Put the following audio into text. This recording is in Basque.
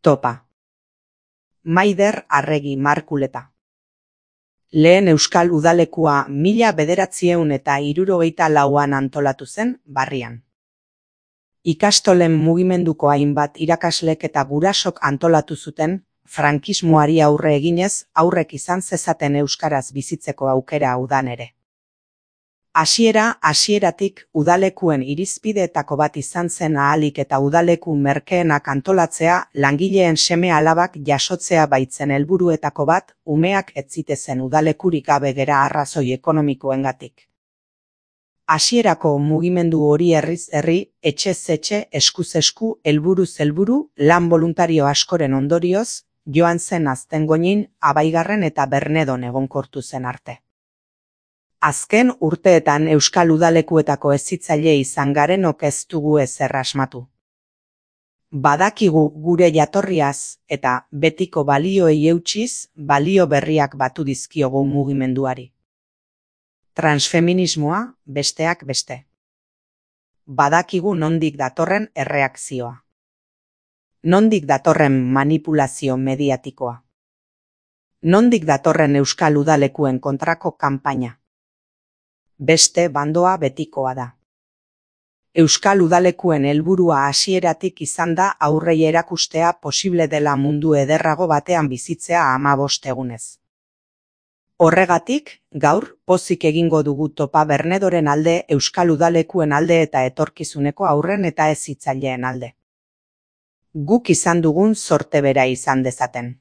Topa. Maider Arregi Markuleta. Lehen euskal udalekua 1974an antolatu zen Barrian. Ikastolen mugimenduko hainbat irakaslek eta gurasok antolatu zuten, frankismoari aurre eginez aurrek izan zezaten euskaraz bizitzeko aukera udan ere. Hasieratik udalekuen irizpideetako bat izan zen ahalik eta udaleku merkeenak antolatzea, langileen seme-alabak jasotzea baitzen helburuetako bat, umeak ez zitezen udalekurik gabe gera arrazoi ekonomikoengatik. Hasierako mugimendu hori herriz herri, etxez etxe, eskuz esku, helburuz helburu, lan boluntario askoren ondorioz, joan zen Aztengoñin, Abaigarren eta Bernedon egonkortu zen arte. Azken urteetan euskal udalekuetako hezitzaile izan garenok ez dugu ezer asmatu. Badakigu gure jatorriaz eta betiko balioei eutsiz, balio berriak batu dizkiogu mugimenduari. Transfeminismoa, besteak beste. Badakigu nondik datorren erreakzioa. Nondik datorren manipulazio mediatikoa. Nondik datorren euskal udalekuen kontrako kanpaina. Beste bandoa betikoa da. Euskal udalekuen helburua hasieratik izan da aurrei erakustea posible dela mundu ederrago batean bizitzea 15 egunez. Horregatik, gaur, pozik egingo dugu Topa Bernedoren alde, euskal udalekuen alde eta etorkizuneko haurren eta hezitzaileen alde. Guk izan dugun zorte bera izan dezaten.